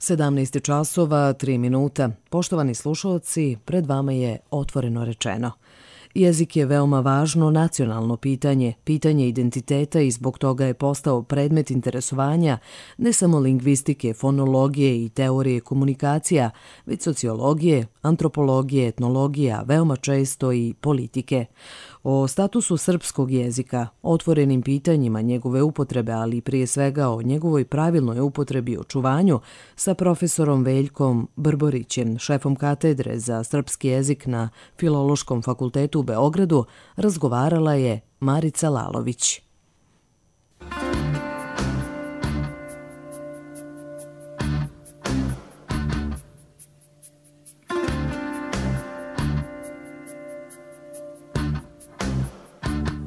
17 časova, 3 minuta. Poštovani slušalci, pred vama je Otvoreno rečeno. Jezik je veoma važno nacionalno pitanje, pitanje identiteta i zbog toga je postao predmet interesovanja ne samo lingvistike, fonologije i teorije komunikacija, već sociologije, antropologije, etnologije, a veoma često i politike. O statusu srpskog jezika, otvorenim pitanjima njegove upotrebe, ali i prije svega o njegovoj pravilnoj upotrebi i očuvanju, sa profesorom Veljkom Brborićem, šefom katedre za srpski jezik na Filološkom fakultetu u Beogradu, razgovarala je Marica Lalović.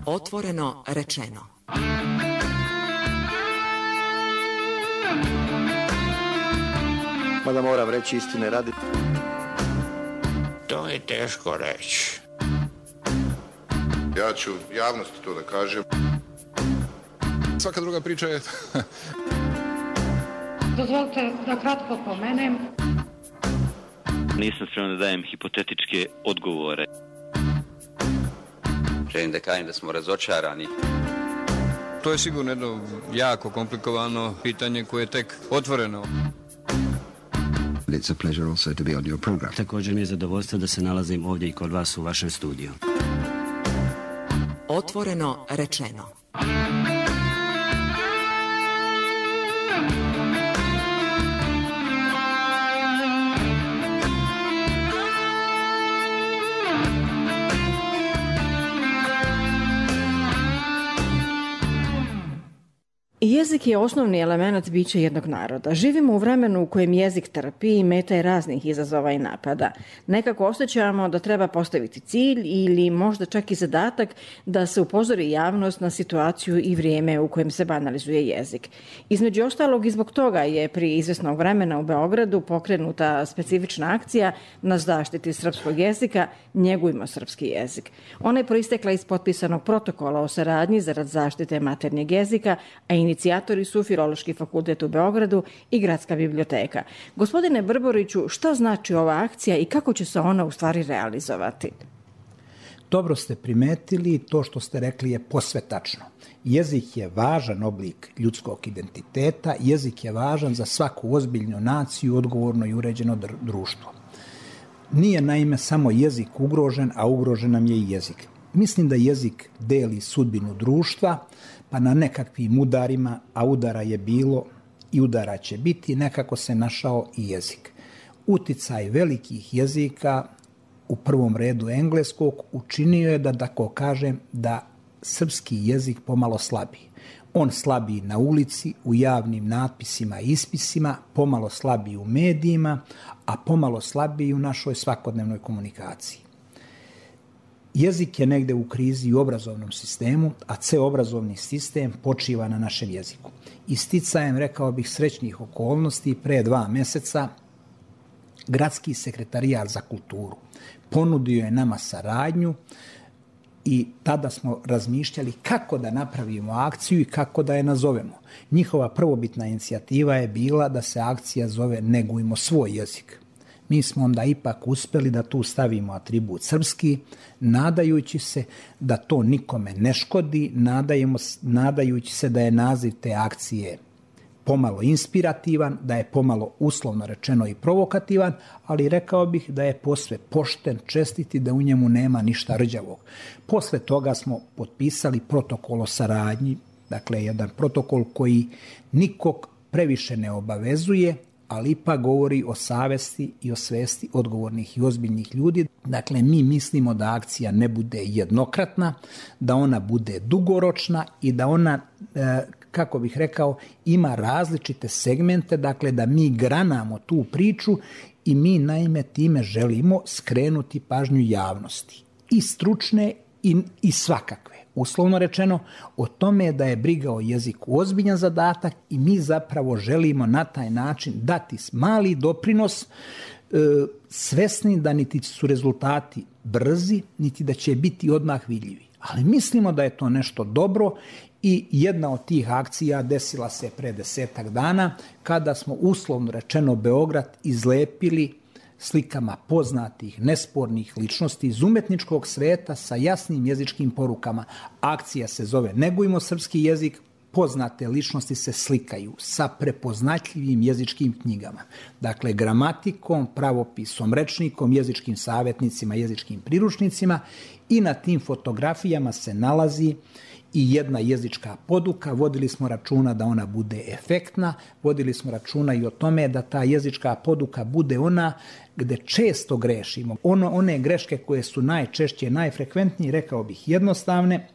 Otvoreno rečeno. Mada moram reći istine radi. To je teško reći. Ja ću javnosti to da kažem. Svaka druga priča je... Dozvolite da kratko pomenem. Nisam spreman da dajem hipotetičke odgovore. Želim da kažem da smo razočarani. To je sigurno jedno jako komplikovano pitanje koje je tek otvoreno. It's a pleasure also to be on your program. Također mi je zadovoljstvo da se nalazim ovdje i kod vas u vašem studiju. Otvoreno rečeno. Jezik je osnovni element bića jednog naroda. Živimo u vremenu u kojem jezik trpi i meta je raznih izazova i napada. Nekako osjećamo da treba postaviti cilj ili možda čak i zadatak da se upozori javnost na situaciju i vrijeme u kojem se banalizuje jezik. Između ostalog i zbog toga je prije izvjesnog vremena u Beogradu pokrenuta specifična akcija na zaštiti srpskog jezika Njegujmo srpski jezik. Ona je proistekla iz potpisanog protokola o saradnji zarad zaštite maternjeg jezika, a inicijatori su Filološki fakultet u Beogradu i Gradska biblioteka. Gospodine Brboriću, šta znači ova akcija i kako će se ona u stvari realizovati? Dobro ste primetili, to što ste rekli je posve tačno. Jezik je važan oblik ljudskog identiteta, jezik je važan za svaku ozbiljnu naciju, odgovorno i uređeno društvo. Nije naime samo jezik ugrožen, a ugrožen nam je i jezik. Mislim da jezik deli sudbinu društva, pa na nekakvim udarima, a udara je bilo i udara će biti, nekako se našao i jezik. Uticaj velikih jezika, u prvom redu engleskog, učinio je da tako kažem, da srpski jezik pomalo slabi. On slabi na ulici, u javnim natpisima i ispisima, pomalo slabi u medijima, a pomalo slabi u našoj svakodnevnoj komunikaciji. Jezik je negde u krizi u obrazovnom sistemu, a ceo obrazovni sistem počiva na našem jeziku. Isticajem, rekao bih, srećnih okolnosti, pre 2 meseca Gradski sekretarijat za kulturu ponudio je nama saradnju i tada smo razmišljali kako da napravimo akciju i kako da je nazovemo. Njihova prvobitna inicijativa je bila da se akcija zove Negujmo svoj jezik. Mi smo onda ipak uspeli da tu stavimo atribut srpski, nadajući se da to nikome ne škodi, nadajući se da je naziv te akcije pomalo inspirativan, da je pomalo uslovno rečeno i provokativan, ali rekao bih da je posve pošten, čestit i da u njemu nema ništa rđavog. Posle toga smo potpisali protokol o saradnji, dakle jedan protokol koji nikog previše ne obavezuje, ali ipak govori o savesti i o svesti odgovornih i ozbiljnih ljudi. Dakle, mi mislimo da akcija ne bude jednokratna, da ona bude dugoročna i da ona, kako bih rekao, ima različite segmente, dakle da mi granamo tu priču i mi naime time želimo skrenuti pažnju javnosti. I stručne i svakakve. Uslovno rečeno, o tome da je briga o jeziku ozbiljan zadatak i mi zapravo želimo na taj način dati mali doprinos, svesni da niti su rezultati brzi, niti da će biti odmah vidljivi. Ali mislimo da je to nešto dobro i jedna od tih akcija desila se pre 10 dana kada smo uslovno rečeno Beograd izlepili slikama poznatih, nespornih ličnosti iz umetničkog sveta sa jasnim jezičkim porukama. Akcija se zove Negujmo srpski jezik, poznate ličnosti se slikaju sa prepoznatljivim jezičkim knjigama. Dakle, gramatikom, pravopisom, rečnikom, jezičkim savjetnicima, jezičkim priručnicima i na tim fotografijama se nalazi i jedna jezička poduka. Vodili smo računa da ona bude efektna, vodili smo računa i o tome da ta jezička poduka bude ona gde često grešimo. One greške koje su najčešće, najfrekventnije, rekao bih jednostavne.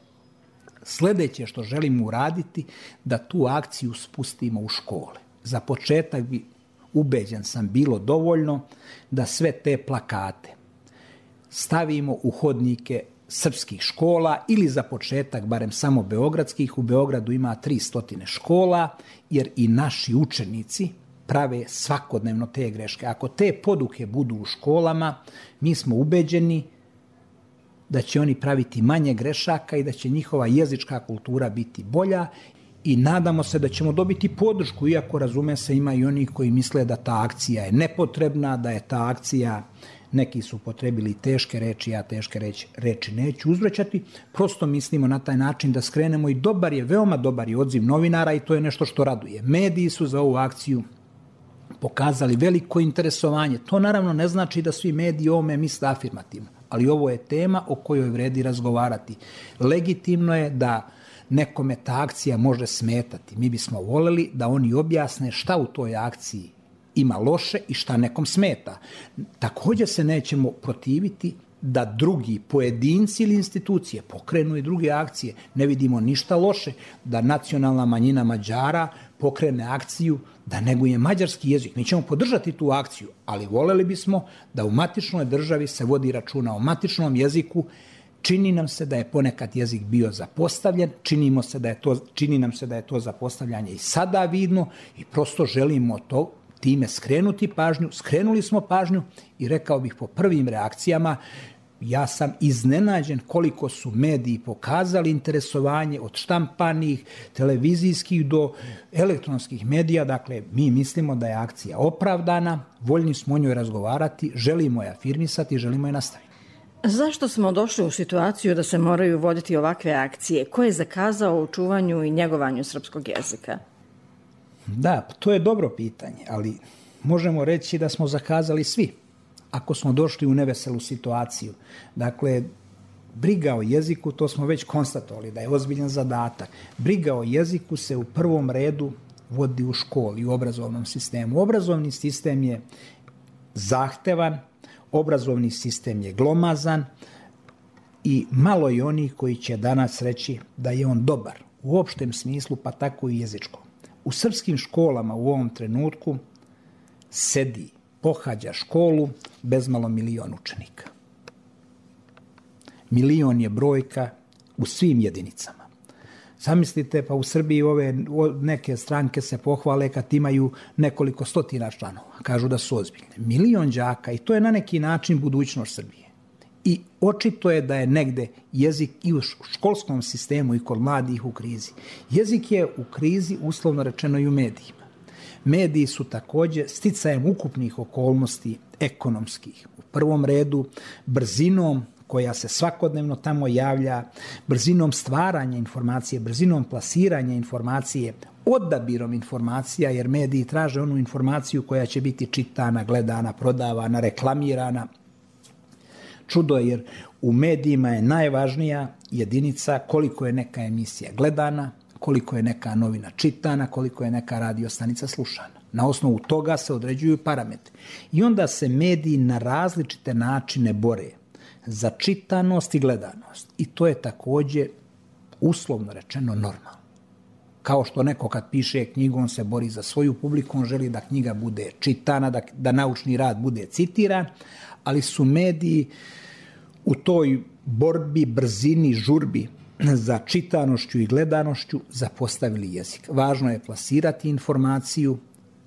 Sljedeće što želimo uraditi, da tu akciju spustimo u škole. Za početak bi, ubeđen sam, bilo dovoljno da sve te plakate stavimo u hodnike srpskih škola ili za početak barem samo beogradskih. U Beogradu ima 300 škola, jer i naši učenici prave svakodnevno te greške. Ako te poduke budu u školama, mi smo ubeđeni da će oni praviti manje grešaka i da će njihova jezička kultura biti bolja i nadamo se da ćemo dobiti podršku, iako razume se ima i oni koji misle da ta akcija je nepotrebna, da je ta akcija, neki su upotrebili teške reči, ja teške reči neću uzvraćati, prosto mislimo na taj način da skrenemo i veoma dobar je odziv novinara i to je nešto što raduje. Mediji su za ovu akciju pokazali veliko interesovanje. To naravno ne znači da svi mediji o ovome misle afirmativno, ali ovo je tema o kojoj vredi razgovarati. Legitimno je da nekome ta akcija može smetati. Mi bismo voljeli da oni objasne šta u toj akciji ima loše i šta nekom smeta. Također se nećemo protiviti da drugi pojedinci ili institucije pokrenu i druge akcije. Ne vidimo ništa loše da nacionalna manjina Mađara pokrene akciju da neguje mađarski jezik. Mi ćemo podržati tu akciju, ali voljeli bismo da u matičnoj državi se vodi računa o matičnom jeziku. Čini nam se da je ponekad jezik bio zapostavljen, čini nam se da je to zapostavljanje i sada vidno i prosto želimo to time skrenuti pažnju. Skrenuli smo pažnju i rekao bih po prvim reakcijama, ja sam iznenađen koliko su mediji pokazali interesovanje od štampanih, televizijskih do elektronskih medija. Dakle, mi mislimo da je akcija opravdana, voljni smo o njoj razgovarati, želimo je afirmisati, želimo je nastaviti. Zašto smo došli u situaciju da se moraju voditi ovakve akcije? Ko je zakazao u čuvanju i njegovanju srpskog jezika? Da, to je dobro pitanje, ali možemo reći da smo zakazali svi ako smo došli u neveselu situaciju. Dakle, briga o jeziku, to smo već konstatovali da je ozbiljan zadatak. Briga o jeziku se u prvom redu vodi u školi, u obrazovnom sistemu. Obrazovni sistem je zahtevan, obrazovni sistem je glomazan i malo je onih koji će danas reći da je on dobar u opštem smislu, pa tako i jezičkom. U srpskim školama u ovom trenutku sedi, pohađa školu bezmalo 1 milion učenika. 1 milion je brojka u svim jedinicama. Zamislite, pa u Srbiji neke stranke se pohvale kad imaju nekoliko stotina članova. Kažu da su ozbiljne. 1 milion đaka i to je na neki način budućnost Srbije. I očito je da je negde jezik i u školskom sistemu i kod mladih u krizi. Jezik je u krizi, uslovno rečeno, i u medijima. Mediji su također sticajem ukupnih okolnosti ekonomskih. U prvom redu brzinom koja se svakodnevno tamo javlja, brzinom stvaranja informacije, brzinom plasiranja informacije, odabirom informacija, jer mediji traže onu informaciju koja će biti čitana, gledana, prodavana, reklamirana. Čudo je, jer u medijima je najvažnija jedinica koliko je neka emisija gledana, koliko je neka novina čitana, koliko je neka radio stanica slušana. Na osnovu toga se određuju parametri. I onda se mediji na različite načine bore za čitanost i gledanost. I to je također, uslovno rečeno, normalno. Kao što neko kad piše knjigu, on se bori za svoju publiku, on želi da knjiga bude čitana, da naučni rad bude citiran, ali su mediji u toj borbi, brzini, žurbi za čitanošću i gledanošću zapostavili jezik. Važno je plasirati informaciju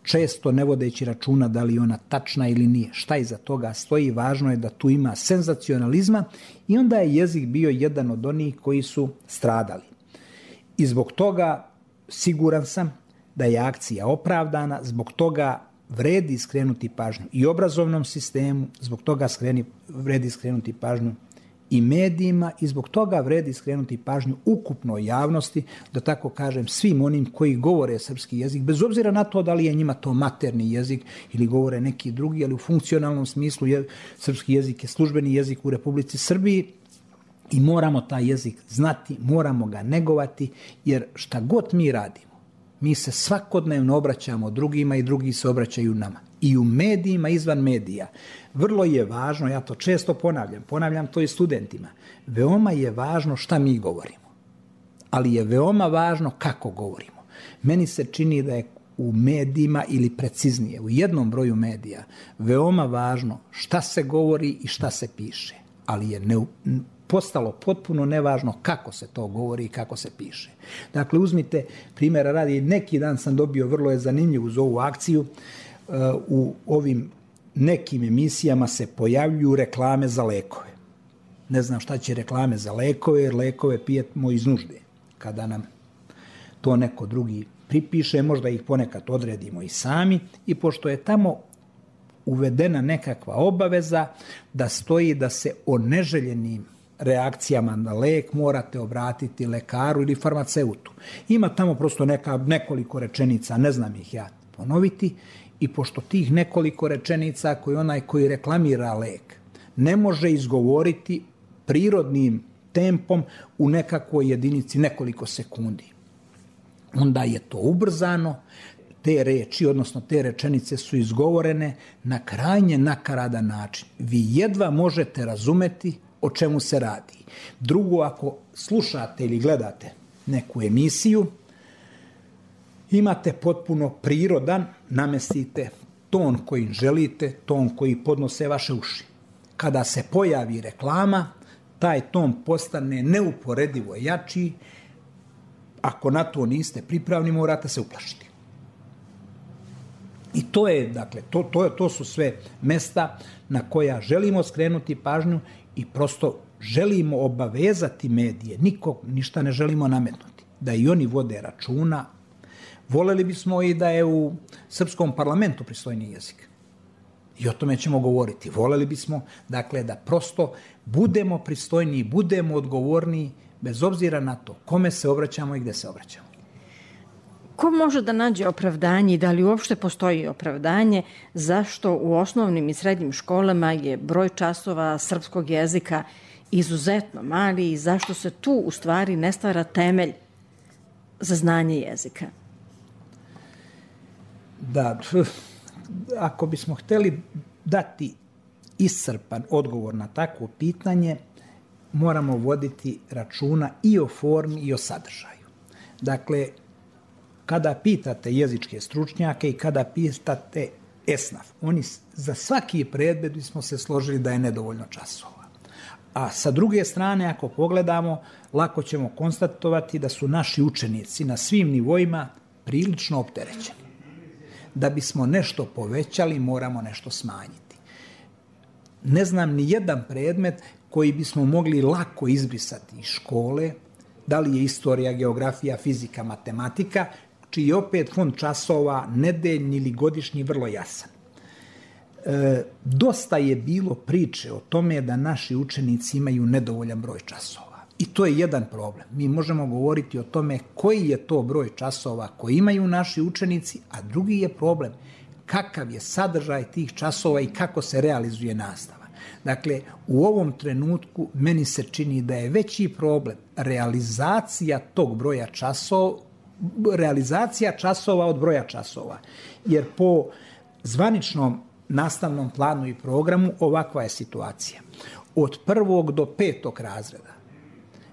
često ne vodeći računa da li je ona tačna ili nije. Šta iza toga stoji, važno je da tu ima senzacionalizma i onda je jezik bio jedan od onih koji su stradali. I zbog toga siguran sam da je akcija opravdana, zbog toga vredi skrenuti pažnju i obrazovnom sistemu, zbog toga vredi skrenuti pažnju i medijima i zbog toga vredi skrenuti pažnju ukupnoj javnosti, da tako kažem, svim onim koji govore srpski jezik, bez obzira na to da li je njima to materni jezik ili govore neki drugi, ali u funkcionalnom smislu srpski jezik je službeni jezik u Republici Srbiji i moramo taj jezik znati, moramo ga negovati, jer šta god mi radimo, mi se svakodnevno obraćamo drugima i drugi se obraćaju nama. I u medijima, izvan medija. Vrlo je važno, ja to često ponavljam to i studentima, veoma je važno šta mi govorimo, ali je veoma važno kako govorimo. Meni se čini da je u medijima, ili preciznije, u jednom broju medija, veoma važno šta se govori i šta se piše, ali je postalo potpuno nevažno kako se to govori i kako se piše. Dakle, uzmite primjera radi, neki dan sam dobio, vrlo je zanimljiv uz ovu akciju, u ovim nekim emisijama se pojavljuju reklame za lekove. Ne znam šta će reklame za lekove, jer lekove pijemo iz nužde. Kada nam to neko drugi pripiše, možda ih ponekad odredimo i sami, i pošto je tamo uvedena nekakva obaveza da stoji da se o neželjenim reakcijama na lek morate obratiti lekaru ili farmaceutu. Ima tamo prosto nekoliko rečenica, ne znam ih ja ponoviti, i pošto tih nekoliko rečenica koji onaj koji reklamira lek ne može izgovoriti prirodnim tempom u nekakvoj jedinici nekoliko sekundi, onda je to ubrzano, te reči, odnosno te rečenice su izgovorene na krajnje nakaradan način. Vi jedva možete razumeti o čemu se radi. Drugo, ako slušate ili gledate neku emisiju, imate potpuno prirodan, namestite ton koji želite, ton koji podnose vaše uši. Kada se pojavi reklama, taj ton postane neuporedivo jači. Ako na to niste pripravni, morate se uplašiti. I to je, dakle, to su sve mesta na koja želimo skrenuti pažnju i prosto želimo obavezati medije. Nikog ništa ne želimo nametnuti. Da i oni vode računa. Voljeli bismo i da je u srpskom parlamentu pristojni jezik. I o tome ćemo govoriti. Voljeli bismo, dakle, da prosto budemo pristojniji, budemo odgovorniji, bez obzira na to kome se obraćamo i gde se obraćamo. Ko može da nađe opravdanje i da li uopšte postoji opravdanje zašto u osnovnim i srednjim školama je broj časova srpskog jezika izuzetno mali i zašto se tu u stvari ne stvara temelj za znanje jezika? Da, ako bismo hteli dati iscrpan odgovor na takvo pitanje, moramo voditi računa i o formi i o sadržaju. Dakle, kada pitate jezičke stručnjake i kada pitate ESNAF, oni za svaki predmet bismo se složili da je nedovoljno časova. A sa druge strane, ako pogledamo, lako ćemo konstatovati da su naši učenici na svim nivoima prilično opterećeni. Da bismo nešto povećali, moramo nešto smanjiti. Ne znam ni jedan predmet koji bismo mogli lako izbrisati iz škole, da li je istorija, geografija, fizika, matematika, čiji je opet fond časova nedeljni ili godišnji vrlo jasan. Dosta je bilo priče o tome da naši učenici imaju nedovoljan broj časova. I to je jedan problem. Mi možemo govoriti o tome koji je to broj časova koji imaju naši učenici, a drugi je problem kakav je sadržaj tih časova i kako se realizuje nastava. Dakle, u ovom trenutku meni se čini da je veći problem realizacija tog broja časova, realizacija časova od broja časova. Jer po zvaničnom nastavnom planu i programu ovakva je situacija. Od 1. do 5. razreda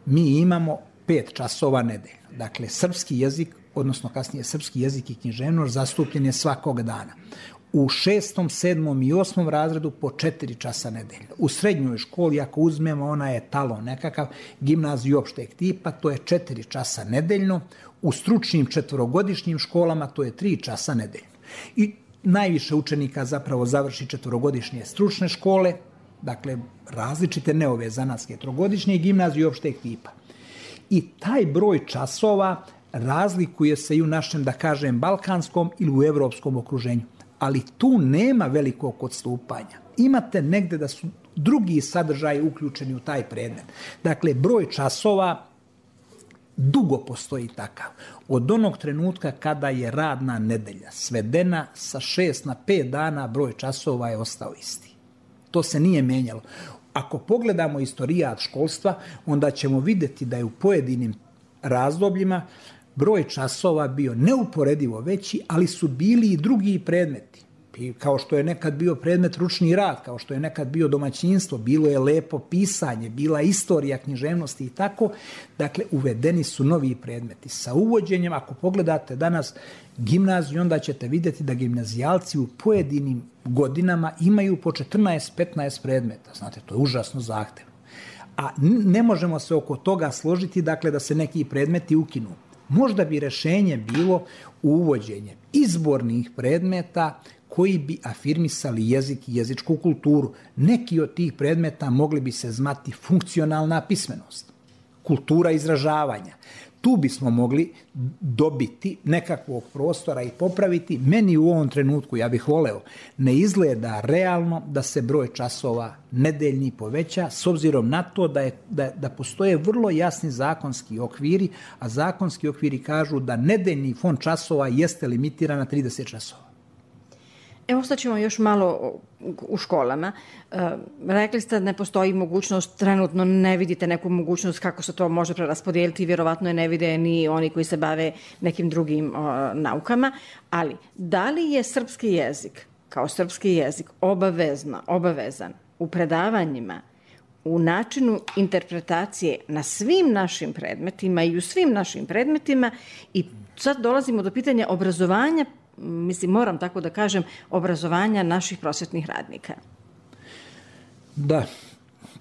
mi imamo 5 časova nedeljno. Dakle, srpski jezik, odnosno kasnije srpski jezik i književnost zastupljen je svakog dana. U 6., 7. i 8. razredu po 4 časa nedeljno. U srednjoj školi, ako uzmemo, ona je talon nekakav, gimnaziju opšteg tipa, to je 4 časa nedeljno. U stručnim 4-godišnjim školama to je 3 časa nedeljno. I najviše učenika zapravo završi 4-godišnje stručne škole, dakle različite, ne ove zanatske, 3-godišnje i gimnazije opšteg tipa. I taj broj časova razlikuje se i u našem, da kažem, balkanskom ili u evropskom okruženju. Ali tu nema velikog odstupanja. Imate negde da su drugi sadržaji uključeni u taj predmet. Dakle, broj časova dugo postoji takav. Od onog trenutka kada je radna nedelja svedena sa 6 na 5 dana, broj časova je ostao isti. To se nije menjalo. Ako pogledamo istorijat školstva, onda ćemo vidjeti da je u pojedinim razdobljima broj časova bio neuporedivo veći, ali su bili i drugi predmeti. Kao što je nekad bio predmet ručni rad, kao što je nekad bio domaćinstvo, bilo je lepo pisanje, bila istorija književnosti i tako. Dakle, uvedeni su novi predmeti. Sa uvođenjem, ako pogledate danas gimnaziju, onda ćete vidjeti da gimnazijalci u pojedinim godinama imaju po 14-15 predmeta. Znate, to je užasno zahtevno. A ne možemo se oko toga složiti, dakle, da se neki predmeti ukinu. Možda bi rješenje bilo uvođenje izbornih predmeta koji bi afirmisali jezik i jezičku kulturu. Neki od tih predmeta mogli bi se zvati funkcionalna pismenost, kultura izražavanja. Tu bismo mogli dobiti nekakvog prostora i popraviti. Meni u ovom trenutku, ja bih voleo, ne izgleda realno da se broj časova nedeljni poveća, s obzirom na to da postoje vrlo jasni zakonski okviri, a zakonski okviri kažu da nedeljni fond časova jeste limitiran na 30 časova. Evo, ostaćemo još malo u školama. Rekli ste da ne postoji mogućnost, trenutno ne vidite neku mogućnost kako se to može preraspodijeliti, vjerovatno je ne vide ni oni koji se bave nekim drugim naukama, ali da li je srpski jezik, kao srpski jezik, obavezan u predavanjima, u načinu interpretacije na svim našim predmetima i u svim našim predmetima, i sad dolazimo do pitanja obrazovanja, mislim, moram tako da kažem, obrazovanja naših prosvetnih radnika. Da.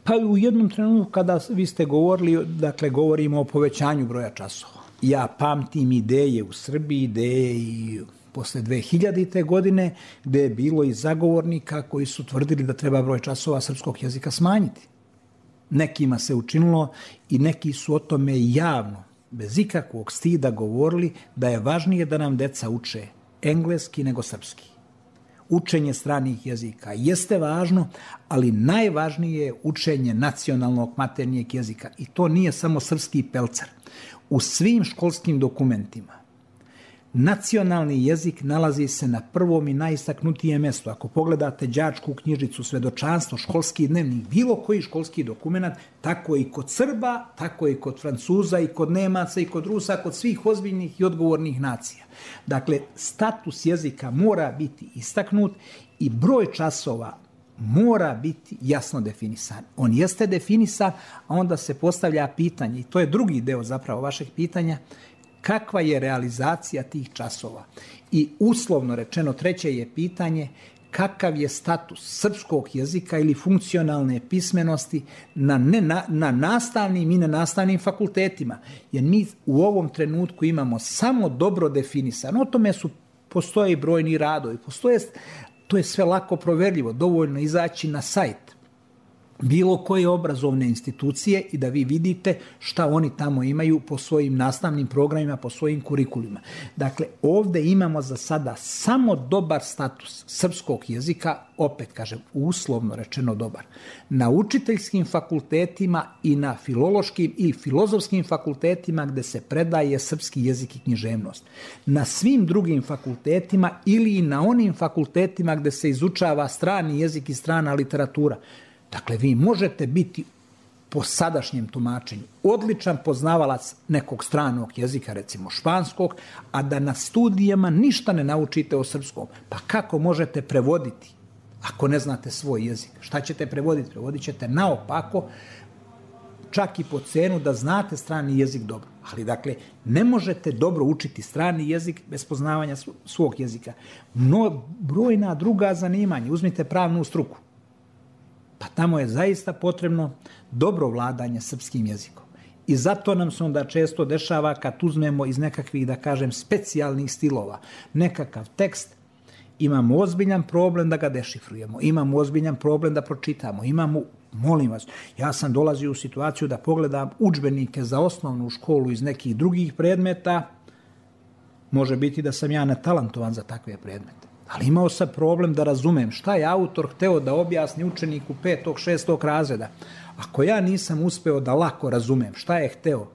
Pa u jednom trenutku kada vi ste govorili, dakle, govorimo o povećanju broja časova. Ja pamtim ideje u Srbiji, ideje i posle 2000. godine, gde je bilo i zagovornika koji su tvrdili da treba broj časova srpskog jezika smanjiti. Nekima se učinilo i neki su o tome javno, bez ikakvog stida govorili da je važnije da nam deca uče engleski nego srpski. Učenje stranih jezika jeste važno, ali najvažnije je učenje nacionalnog maternijeg jezika. I to nije samo srpski pelcar. U svim školskim dokumentima nacionalni jezik nalazi se na prvom i najistaknutijem mjestu. Ako pogledate đačku knjižicu, svedočanstvo, školski dnevnik, bilo koji školski dokument, tako i kod Srba, tako i kod Francuza, i kod Nemaca, i kod Rusa, kod svih ozbiljnih i odgovornih nacija. Dakle, status jezika mora biti istaknut i broj časova mora biti jasno definisan. On jeste definisan, a onda se postavlja pitanje, i to je drugi deo zapravo vašeg pitanja, kakva je realizacija tih časova. I uslovno rečeno, treće je pitanje kakav je status srpskog jezika ili funkcionalne pismenosti na nastavnim i nenastavnim fakultetima. Jer mi u ovom trenutku imamo samo dobro definisano. O tome postoje i brojni radovi. To je sve lako proverljivo. Dovoljno izaći na sajt bilo koje obrazovne institucije i da vi vidite šta oni tamo imaju po svojim nastavnim programima, po svojim kurikulima. Dakle, ovdje imamo za sada samo dobar status srpskog jezika, opet kažem, uslovno rečeno dobar. Na učiteljskim fakultetima i na filološkim i filozofskim fakultetima gde se predaje srpski jezik i književnost. Na svim drugim fakultetima ili na onim fakultetima gde se izučava strani jezik i strana literatura. Dakle, vi možete biti po sadašnjem tumačenju odličan poznavalac nekog stranog jezika, recimo španskog, a da na studijama ništa ne naučite o srpskom. Pa kako možete prevoditi ako ne znate svoj jezik? Šta ćete prevoditi? Prevodit ćete naopako, čak i po cenu da znate strani jezik dobro. Ali, dakle, ne možete dobro učiti strani jezik bez poznavanja svog jezika. Brojna druga zanimanja, uzmite pravnu struku. Pa tamo je zaista potrebno dobro vladanje srpskim jezikom. I zato nam se onda često dešava kad uzmemo iz nekakvih, da kažem, specijalnih stilova nekakav tekst, imamo ozbiljan problem da ga dešifrujemo, imamo ozbiljan problem da pročitamo, molim vas, ja sam dolazio u situaciju da pogledam udžbenike za osnovnu školu iz nekih drugih predmeta, može biti da sam ja netalentovan za takve predmete, ali imao sam problem da razumem šta je autor hteo da objasni učeniku 5. 6. razreda. Ako ja nisam uspeo da lako razumem šta je hteo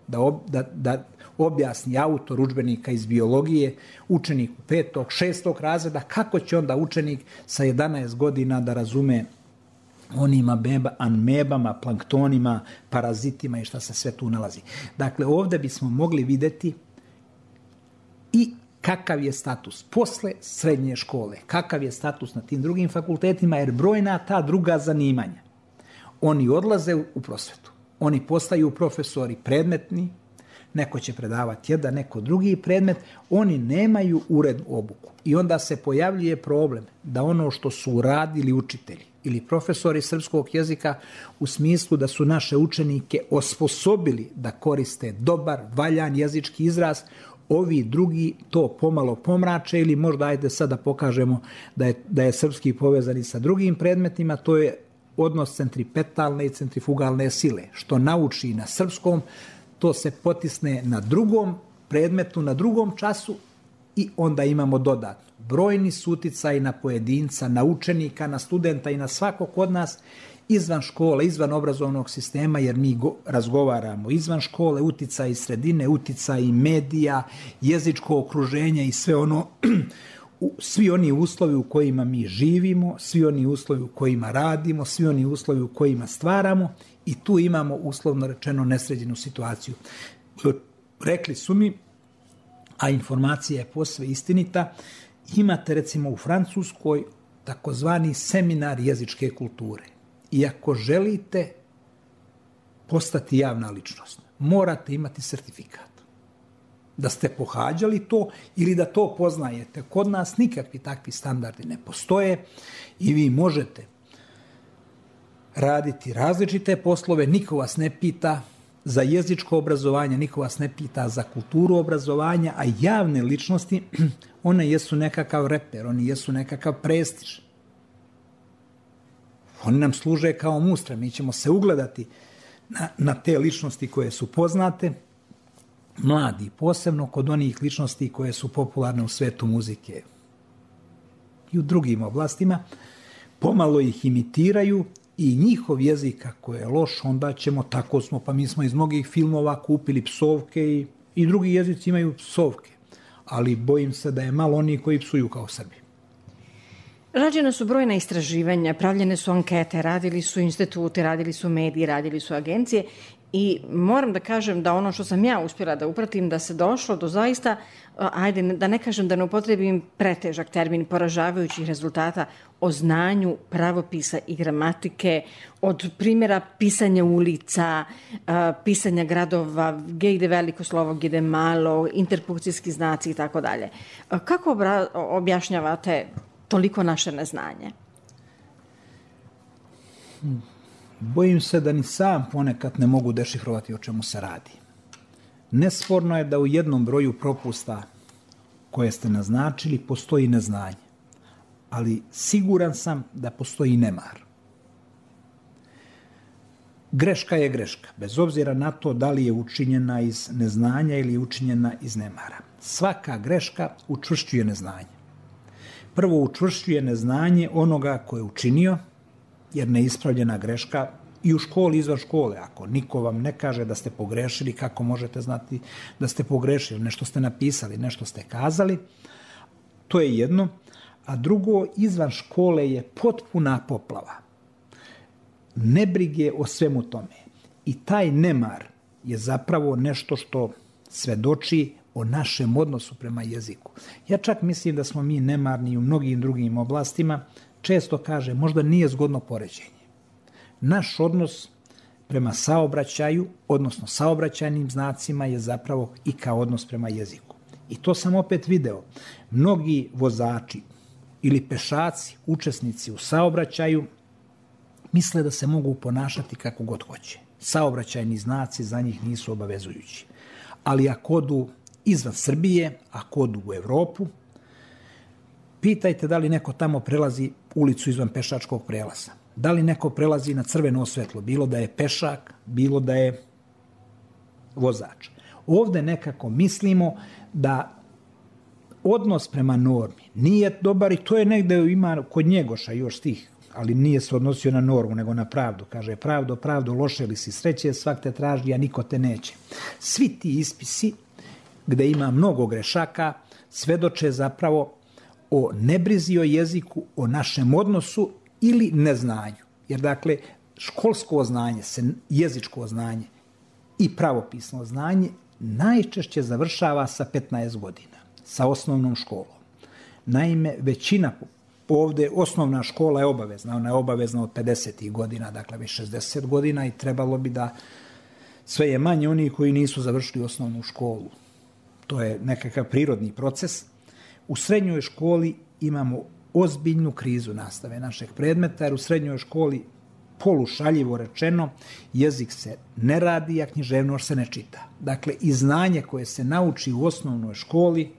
da objasni autor udžbenika iz biologije učeniku 5. 6. razreda, kako će onda učenik sa 11 godina da razume onim amebama, planktonima, parazitima i šta se sve tu nalazi. Dakle, ovde bismo mogli videti i kakav je status posle srednje škole, kakav je status na tim drugim fakultetima, jer brojna ta druga zanimanja, oni odlaze u prosvetu, oni postaju profesori predmetni, neko će predavati jedan, neko drugi predmet, oni nemaju urednu obuku. I onda se pojavljuje problem da ono što su uradili učitelji ili profesori srpskog jezika u smislu da su naše učenike osposobili da koriste dobar, valjan jezički izraz, ovi drugi to pomalo pomrače ili možda ajde sad da pokažemo da je srpski povezani sa drugim predmetima, to je odnos centripetalne i centrifugalne sile. Što nauči na srpskom, to se potisne na drugom predmetu, na drugom času i onda imamo dodatno. Brojni su uticaji na pojedinca, na učenika, na studenta i na svakog od nas izvan škole, izvan obrazovnog sistema, jer mi razgovaramo izvan škole, uticaji sredine, uticaji medija, jezičko okruženje i sve ono, svi oni uslovi u kojima mi živimo, svi oni uslovi u kojima radimo, svi oni uslovi u kojima stvaramo i tu imamo uslovno rečeno nesređenu situaciju. Rekli su mi, a informacija je posve istinita, imate recimo u Francuskoj takozvani seminar jezičke kulture. I ako želite postati javna ličnost, morate imati sertifikat. Da ste pohađali to ili da to poznajete. Kod nas nikakvi takvi standardi ne postoje i vi možete raditi različite poslove, niko vas ne pita za jezičko obrazovanje, niko vas ne pita za kulturu obrazovanja, a javne ličnosti, one jesu nekakav reper, oni jesu nekakav prestiž. Oni nam služe kao mustra, mi ćemo se ugledati na te ličnosti koje su poznate, mladi, posebno kod onih ličnosti koje su popularne u svetu muzike i u drugim oblastima, pomalo ih imitiraju i njihov jezik ako je loš, onda ćemo, tako smo, pa mi smo iz mnogih filmova kupili psovke i drugi jezici imaju psovke, ali bojim se da je malo oni koji psuju kao Srbi. Rađena su brojna istraživanja, pravljene su ankete, radili su instituti, radili su mediji, radili su agencije i moram da kažem da ono što sam ja uspjela da upratim, da se došlo do zaista, ajde da ne kažem da ne upotrebim pretežak termin, poražavajućih rezultata o znanju pravopisa i gramatike, od primjera pisanja ulica, pisanja gradova, gdje ide veliko slovo, gdje ide malo, interpunkcijski znaci i tako dalje. Kako objašnjavate toliko naše neznanje? Bojim se da ni sam ponekad ne mogu dešifrovati o čemu se radi. Nesporno je da u jednom broju propusta koje ste naznačili postoji neznanje, ali siguran sam da postoji nemar. Greška je greška, bez obzira na to da li je učinjena iz neznanja ili je učinjena iz nemara. Svaka greška učvršćuje neznanje. Prvo učvršćuje neznanje onoga ko je učinio, jer neispravljena greška i u školi, izvan škole, ako niko vam ne kaže da ste pogrešili, kako možete znati da ste pogrešili, nešto ste napisali, nešto ste kazali, to je jedno. A drugo, izvan škole je potpuna poplava nebrige o svemu tome. I taj nemar je zapravo nešto što svedoči o našem odnosu prema jeziku. Ja čak mislim da smo mi nemarni u mnogim drugim oblastima. Često kaže, možda nije zgodno poređenje. Naš odnos prema saobraćaju, odnosno saobraćajnim znacima, je zapravo i kao odnos prema jeziku. I to sam opet video. Mnogi vozači ili pešaci, učesnici u saobraćaju, misle da se mogu ponašati kako god hoće. Saobraćajni znaci za njih nisu obavezujući. Ali ako odu izvan Srbije, ako odu u Evropu, Pitajte da li neko tamo prelazi ulicu izvan pešačkog prelaza. Da li neko prelazi na crveno svetlo, bilo da je pešak, bilo da je vozač. Ovde nekako mislimo da odnos prema normi nije dobar i to je negde ima kod Njegoša još stih, ali nije se odnosio na normu, nego na pravdu. Kaže, pravdo, pravdo, loše li si sreće, svak te traži, a niko te neće. Svi ti ispisi, gde ima mnogo grešaka, svedoče zapravo o nebrizi o jeziku, o našem odnosu ili neznanju. Jer, dakle, školsko znanje, jezičko znanje i pravopisno znanje najčešće završava sa 15 godina, sa osnovnom školom. Naime, većina ovde, osnovna škola je obavezna, ona je obavezna od 50. godina, dakle već 60 godina i trebalo bi da sve je manje onih koji nisu završili osnovnu školu. To je nekakav prirodni proces. U srednjoj školi imamo ozbiljnu krizu nastave našeg predmeta, jer u srednjoj školi polušaljivo rečeno, jezik se ne radi, a književnost se ne čita. Dakle, i znanje koje se nauči u osnovnoj školi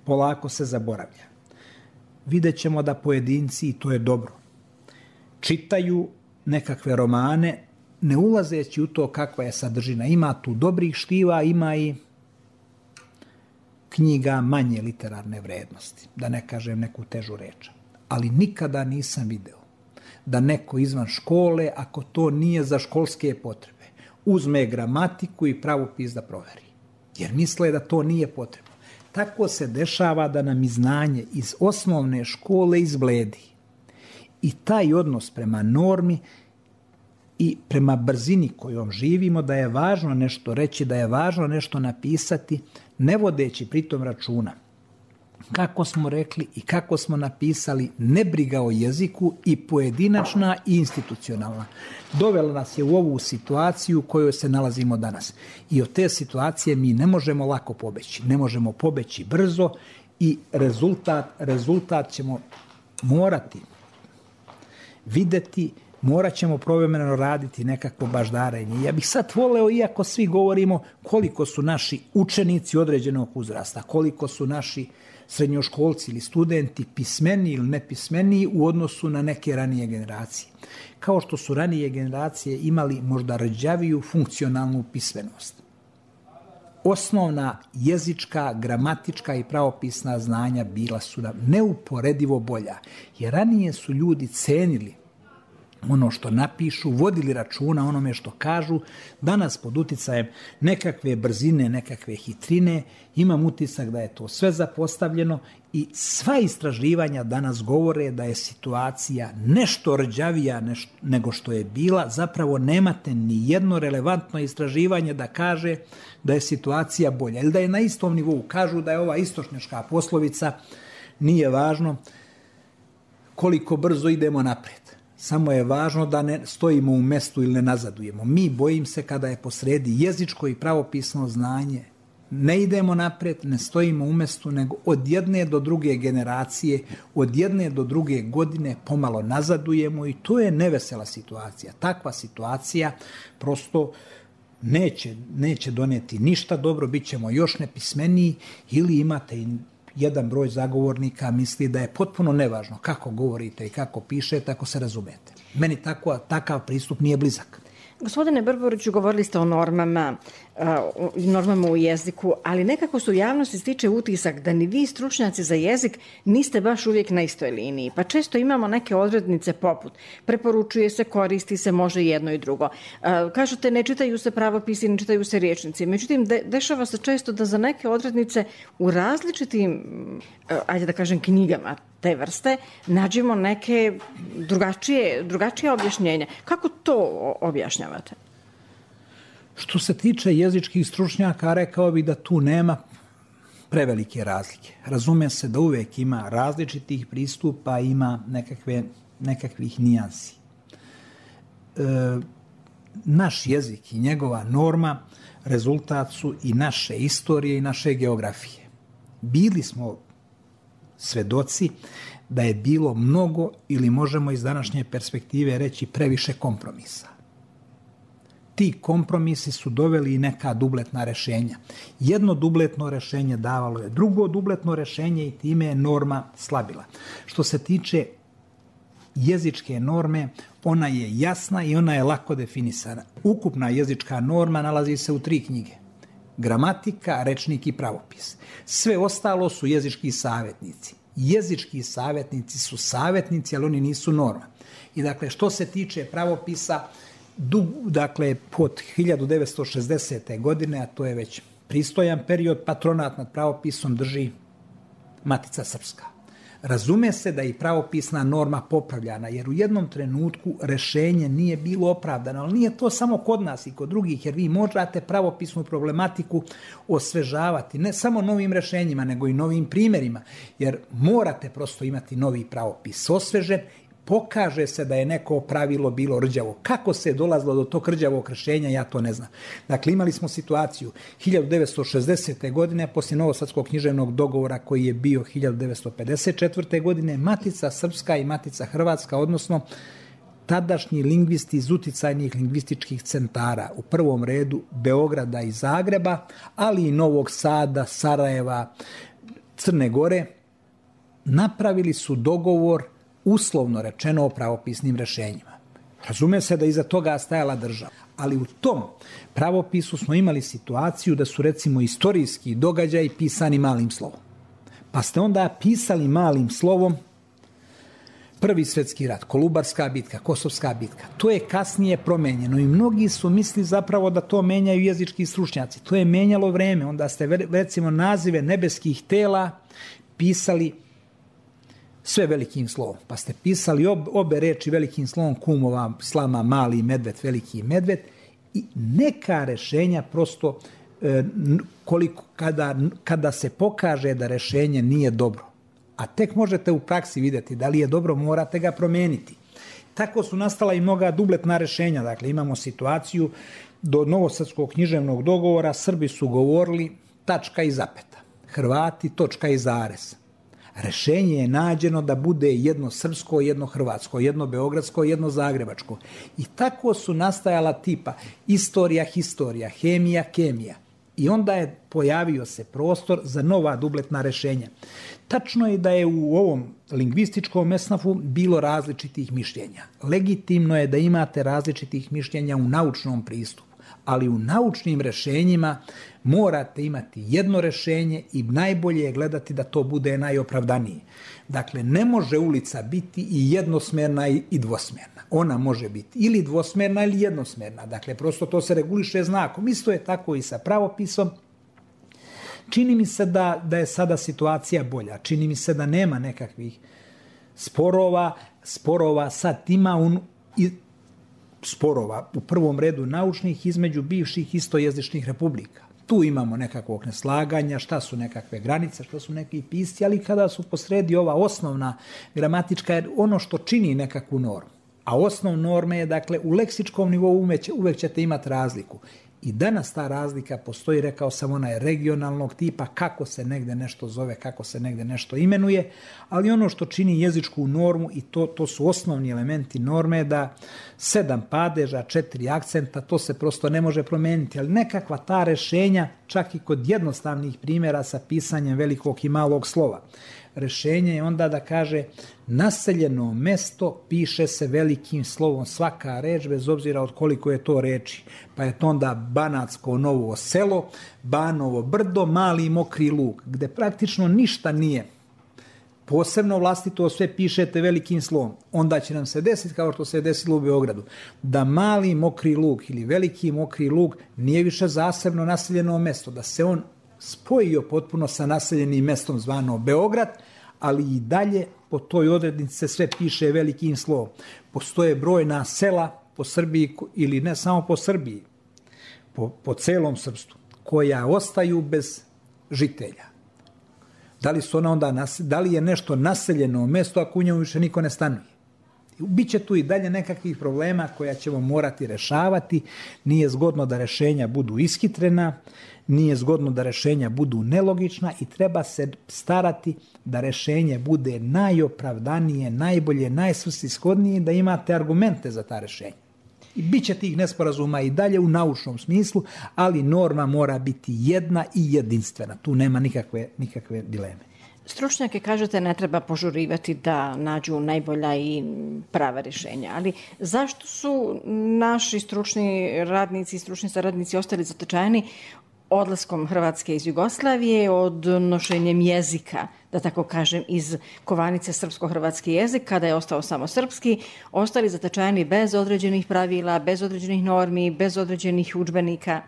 polako se zaboravlja. Vidjet ćemo da pojedinci, i to je dobro, čitaju nekakve romane, ne ulazeći u to kakva je sadržina. Ima tu dobrih štiva, ima i knjiga manje literarne vrednosti, da ne kažem neku težu reč. Ali nikada nisam video da neko izvan škole, ako to nije za školske potrebe, uzme gramatiku i pravopis da proveri. Jer misle da to nije potrebno. Tako se dešava da nam i znanje iz osnovne škole izbledi. I taj odnos prema normi i prema brzini kojom živimo, da je važno nešto reći, da je važno nešto napisati, ne vodeći pritom računa kako smo rekli i kako smo napisali, nebriga o jeziku i pojedinačna i institucionalna. Dovela nas je u ovu situaciju u kojoj se nalazimo danas. I od te situacije mi ne možemo lako pobeći. Ne možemo pobeći brzo i rezultat ćemo morati videti, morat ćemo povremeno raditi nekakvo baždarenje. Ja bih sad voleo, iako svi govorimo koliko su naši učenici određenog uzrasta, koliko su naši srednjoškolci ili studenti pismeniji ili nepismeniji u odnosu na neke ranije generacije. Kao što su ranije generacije imali možda rđaviju funkcionalnu pismenost. Osnovna jezička, gramatička i pravopisna znanja bila su nam neuporedivo bolja, jer ranije su ljudi cenili ono što napišu, vodili računa onome što kažu. Danas pod uticajem nekakve brzine, nekakve hitrine, imam utisak da je to sve zapostavljeno i sva istraživanja danas govore da je situacija nešto rđavija nego što je bila. Zapravo nemate ni jedno relevantno istraživanje da kaže da je situacija bolja ili da je na istom nivou. Kažu da je ova istočnjačka poslovica, nije važno koliko brzo idemo napred. Samo je važno da ne stojimo u mestu ili ne nazadujemo. Mi, bojim se, kada je posredi jezičko i pravopisno znanje, ne idemo napred, ne stojimo u mestu, nego od jedne do druge generacije, od jedne do druge godine pomalo nazadujemo i to je nevesela situacija. Takva situacija prosto neće doneti ništa dobro, bit ćemo još nepismeniji ili imate i jedan broj zagovornika misli da je potpuno nevažno kako govorite i kako pišete, ako se razumete. Meni takav pristup nije blizak. Gospodine Brboriću, govorili ste o normama u jeziku, ali nekako se u javnosti stiče utisak da ni vi, stručnjaci za jezik, niste baš uvijek na istoj liniji. Pa često imamo neke odrednice poput preporučuje se, koristi se, može jedno i drugo. Kažete, ne čitaju se pravopisi, ne čitaju se rječnici. Međutim, dešava se često da za neke odrednice u različitim, ajde da kažem, knjigama te vrste nađemo neke drugačije objašnjenja. Kako to objašnjavate? Što se tiče jezičkih stručnjaka, rekao bih da tu nema prevelike razlike. Razume se da uvek ima različitih pristupa, ima nekakvih nijansi. Naš jezik i njegova norma rezultat su i naše istorije i naše geografije. Bili smo svedoci da je bilo mnogo, ili možemo iz današnje perspektive reći previše kompromisa. ti kompromisi su doveli i neka dubletna rešenja. Jedno dubletno rešenje davalo je drugo dubletno rešenje i time je norma slabila. Što se tiče jezičke norme, ona je jasna i ona je lako definisana. Ukupna jezička norma nalazi se u 3 knjige. Gramatika, rečnik i pravopis. Sve ostalo su jezički savjetnici. Jezički savjetnici su savjetnici, ali oni nisu norma. I dakle, što se tiče pravopisa, dakle, pod 1960. godine, a to je već pristojan period, patronat nad pravopisom drži Matica Srpska. Razume se da je i pravopisna norma popravljana, jer u jednom trenutku rešenje nije bilo opravdano, ali nije to samo kod nas i kod drugih, jer vi možete pravopisnu problematiku osvežavati, ne samo novim rešenjima, nego i novim primjerima, jer morate prosto imati novi pravopis osvežen. Pokaže se da je neko pravilo bilo rđavo. Kako se je dolazilo do tog rđavog rešenja, ja to ne znam. Dakle, imali smo situaciju 1960. godine, poslije Novosadskog književnog dogovora koji je bio 1954. godine, Matica Srpska i Matica Hrvatska, odnosno tadašnji lingvisti iz uticajnih lingvističkih centara, u prvom redu Beograda i Zagreba, ali i Novog Sada, Sarajeva, Crne Gore, napravili su dogovor uslovno rečeno o pravopisnim rešenjima. Razume se da iza toga stajala država. Ali u tom pravopisu smo imali situaciju da su recimo istorijski događaji pisani malim slovom. Pa ste onda pisali malim slovom Prvi svjetski rat, Kolubarska bitka, Kosovska bitka. To je kasnije promenjeno i mnogi su misli zapravo da to menjaju jezički stručnjaci. To je menjalo vreme. Onda ste recimo nazive nebeskih tela pisali sve velikim slovom. Pa ste pisali obe reči velikim slovom, kumova, slama, mali medved, veliki medved, i neka rešenja prosto kada se pokaže da rešenje nije dobro, a tek možete u praksi vidjeti da li je dobro, morate ga promijeniti. Tako su nastala i mnoga dubletna rešenja. Dakle, imamo situaciju do Novosadskog književnog dogovora Srbi su govorili tačka i zapeta, Hrvati točka i zarez. Rešenje je nađeno da bude jedno srpsko, jedno hrvatsko, jedno beogradsko, jedno zagrebačko. I tako su nastajala tipa istorija, historija, hemija, kemija. I onda je pojavio se prostor za nova dubletna rešenja. Tačno je da je u ovom lingvističkom esnafu bilo različitih mišljenja. Legitimno je da imate različitih mišljenja u naučnom pristupu, ali u naučnim rešenjima morate imati jedno rešenje i najbolje je gledati da to bude najopravdanije. Dakle, ne može ulica biti i jednosmerna i dvosmerna. Ona može biti ili dvosmerna ili jednosmerna. Dakle, prosto to se reguliše znakom. Isto je tako i sa pravopisom. Čini mi se da je sada situacija bolja. Čini mi se da nema nekakvih sporova sad ima sporova u prvom redu naučnih između bivših istojezičnih republika. Tu imamo nekakvog neslaganja, šta su nekakve granice, šta su neki pisci, ali kada su posredi ova osnovna gramatička, ono što čini nekakvu normu. A osnov norme je, dakle, u leksičkom nivou uvek ćete imati razliku. I danas ta razlika postoji, rekao sam, ona je regionalnog tipa, kako se negde nešto zove, kako se negde nešto imenuje, ali ono što čini jezičku normu, i to su osnovni elementi norme, da 7 padeža, 4 akcenta, to se prosto ne može promijeniti, ali nekakva ta rešenja, čak i kod jednostavnih primjera sa pisanjem velikog i malog slova. Rešenje je onda da kaže naseljeno mesto piše se velikim slovom, svaka reč bez obzira od koliko je to reči. Pa je to onda Banatsko Novo Selo, Banovo Brdo, Mali Mokri Lug, gde praktično ništa nije posebno vlastito, sve pišete velikim slovom. Onda će nam se desiti kao što se je desilo u Beogradu, da Mali Mokri Lug ili Veliki Mokri Lug nije više zasebno naseljeno mesto, da se on spojio potpuno sa naseljenim mestom zvano Beograd, ali i dalje po toj odrednici se sve piše velikim slovom. Postoje brojna sela po Srbiji, ili ne samo po Srbiji, po celom srpstvu, koja ostaju bez žitelja. Da li je nešto naseljeno mesto ako u njemu više niko ne stanuje? Biće tu i dalje nekakvih problema koja ćemo morati rešavati. Nije zgodno da rešenja budu ishitrena, nije zgodno da rešenja budu nelogična i treba se starati da rešenje bude najopravdanije, najbolje, najsvrsishodnije, da imate argumente za ta rešenja. I bit će tih nesporazuma i dalje u naučnom smislu, ali norma mora biti jedna i jedinstvena. Tu nema nikakve dileme. Stručnjake, kažete, ne treba požurivati da nađu najbolja i prava rješenja, ali zašto su naši stručni radnici i stručni saradnici ostali zatečeni odlaskom Hrvatske iz Jugoslavije, odnošenjem jezika, da tako kažem, iz kovanice srpsko-hrvatski jezik, kada je ostao samo srpski, ostali zatečeni bez određenih pravila, bez određenih normi, bez određenih udžbenika?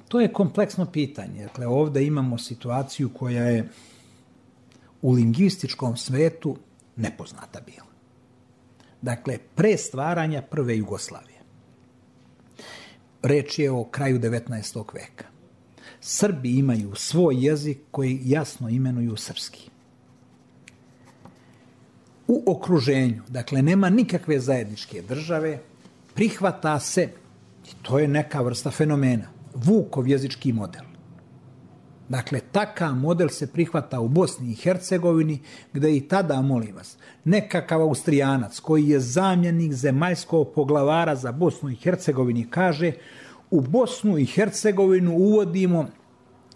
To je kompleksno pitanje. Dakle, ovdje imamo situaciju koja je u lingvističkom svetu nepoznata bila. Dakle, pre stvaranja prve Jugoslavije. Reč je o kraju 19. veka. Srbi imaju svoj jezik koji jasno imenuju srpski. U okruženju, dakle, nema nikakve zajedničke države, prihvata se, i to je neka vrsta fenomena, Vukov jezički model. Dakle, takav model se prihvata u Bosni i Hercegovini, gde i tada, molim vas, nekakav Austrijanac koji je zamjenik zemaljskog poglavara za Bosnu i Hercegovini kaže: u Bosnu i Hercegovinu uvodimo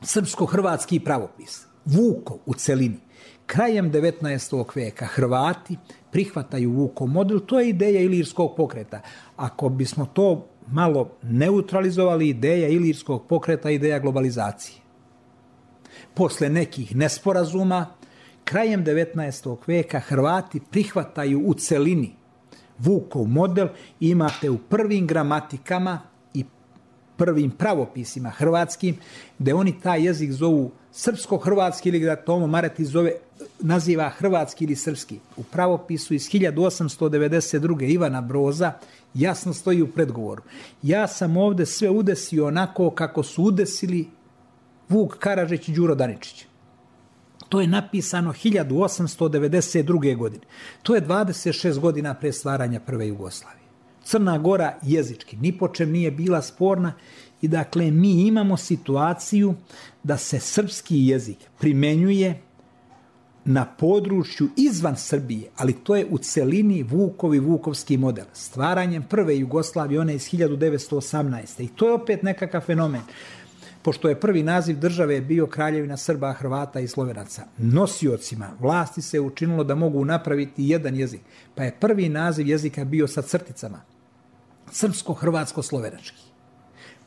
srpsko-hrvatski pravopis. Vukov u celini. Krajem 19. veka Hrvati prihvataju Vukov model, to je ideja Ilirskog pokreta. Ako bismo to malo neutralizovali, ideja Ilirskog pokreta, ideja globalizacije. Posle nekih nesporazuma, krajem 19. veka Hrvati prihvataju u celini Vukov model. Imate u prvim gramatikama i prvim pravopisima hrvatskim, gde oni taj jezik zovu srpsko-hrvatski ili ga Tomo Maretić naziva hrvatski ili srpski. U pravopisu iz 1892. Ivana Broza jasno stoji u predgovoru: ja sam ovde sve udesio onako kako su udesili Vuk Karadžić i Đuro Daničić. To je napisano 1892. godine. To je 26 godina pre stvaranja prve Jugoslavije. Crna Gora jezički ni po čem nije bila sporna i dakle mi imamo situaciju da se srpski jezik primenjuje na području izvan Srbije, ali to je u celini Vukovski model. Stvaranjem prve Jugoslavije, one iz 1918. I to je opet nekakav fenomen. Pošto je prvi naziv države bio Kraljevina Srba, Hrvata i Slovenaca, nosiocima vlasti se učinilo da mogu napraviti jedan jezik, pa je prvi naziv jezika bio sa crticama. Srpsko-hrvatsko-slovenački.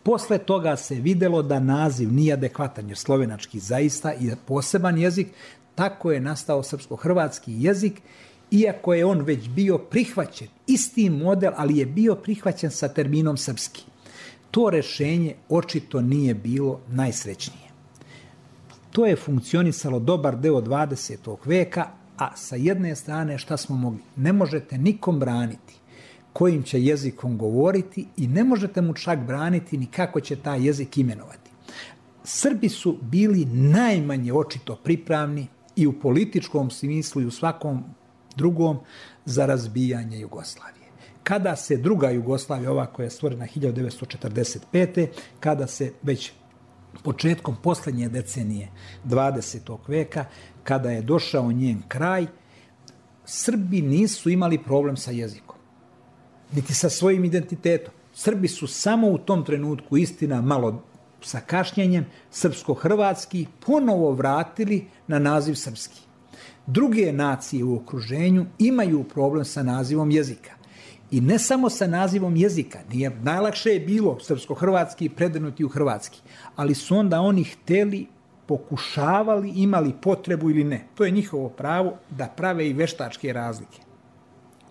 Posle toga se videlo da naziv nije adekvatan, jer slovenački zaista je poseban jezik. Tako je nastao srpsko-hrvatski jezik, iako je on već bio prihvaćen, isti model, ali je bio prihvaćen sa terminom srpski. To rešenje očito nije bilo najsrećnije. To je funkcionisalo dobar deo 20. veka, a sa jedne strane šta smo mogli? Ne možete nikom braniti kojim će jezikom govoriti i ne možete mu čak braniti ni kako će taj jezik imenovati. Srbi su bili najmanje očito pripravni i u političkom smislu i u svakom drugom za razbijanje Jugoslavije. Kada se druga Jugoslavija, ova koja je stvorena 1945. kada se već početkom posljednje decenije 20. veka, kada je došao njen kraj, Srbi nisu imali problem sa jezikom, niti sa svojim identitetom. Srbi su samo u tom trenutku, istina malo sa kašnjenjem, srpsko-hrvatski ponovo vratili na naziv srpski. Druge nacije u okruženju imaju problem sa nazivom jezika. I ne samo sa nazivom jezika, najlakše je bilo srpsko-hrvatski predenuti u hrvatski, ali su onda oni hteli, pokušavali, imali potrebu ili ne. To je njihovo pravo da prave i veštačke razlike.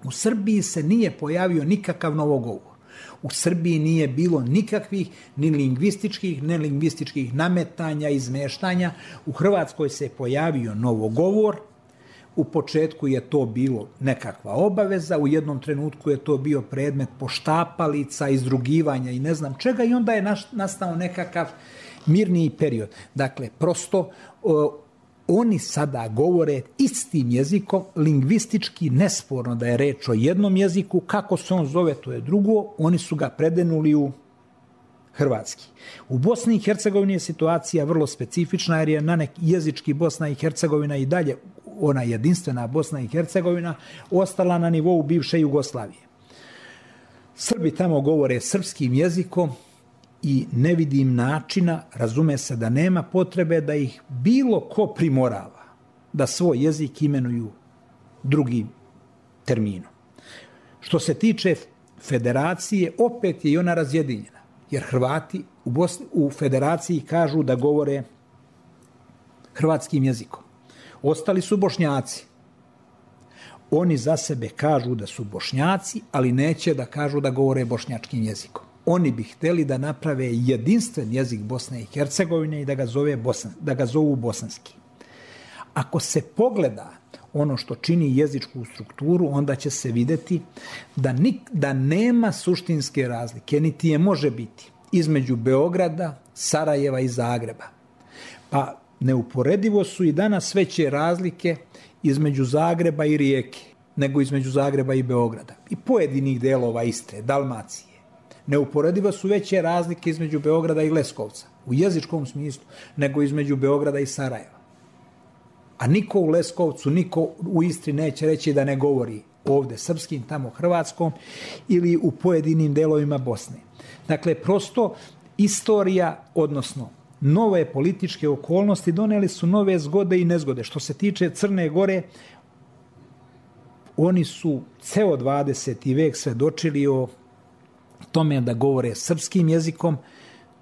U Srbiji se nije pojavio nikakav novogovor. U Srbiji nije bilo nikakvih ni lingvističkih, nelingvističkih nametanja, izmeštanja. U Hrvatskoj se pojavio novogovor. U početku je to bilo nekakva obaveza, u jednom trenutku je to bio predmet poštapalica, izdrugivanja i ne znam čega, i onda je nastao nekakav mirniji period. Dakle, prosto oni sada govore istim jezikom, lingvistički nesporno da je reč o jednom jeziku, kako se on zove to je drugo, oni su ga predenuli u hrvatski. U Bosni i Hercegovini je situacija vrlo specifična, jer je na neki jezički Bosna i Hercegovina i dalje ona jedinstvena Bosna i Hercegovina, ostala na nivou bivše Jugoslavije. Srbi tamo govore srpskim jezikom i ne vidim načina, razume se da nema potrebe da ih bilo ko primorava da svoj jezik imenuju drugim terminom. Što se tiče federacije, opet je i ona razjedinjena, jer Hrvati u federaciji kažu da govore hrvatskim jezikom. Ostali su Bošnjaci. Oni za sebe kažu da su Bošnjaci, ali neće da kažu da govore bošnjačkim jezikom. Oni bi hteli da naprave jedinstven jezik Bosne i Hercegovine i da ga zovu bosanski. Ako se pogleda ono što čini jezičku strukturu, onda će se vidjeti da nema suštinske razlike, niti je može biti, između Beograda, Sarajeva i Zagreba. Pa neuporedivo su i danas veće razlike između Zagreba i Rijeke, nego između Zagreba i Beograda. I pojedinih delova Istre, Dalmacije. Neuporedivo su veće razlike između Beograda i Leskovca, u jezičkom smislu, nego između Beograda i Sarajeva. A niko u Leskovcu, niko u Istri neće reći da ne govori ovdje srpskim, tamo hrvatskom ili u pojedinim delovima Bosne. Dakle, prosto istorija, odnosno nove političke okolnosti doneli su nove zgode i nezgode. Što se tiče Crne Gore, oni su ceo 20. vek svedočili o tome da govore srpskim jezikom.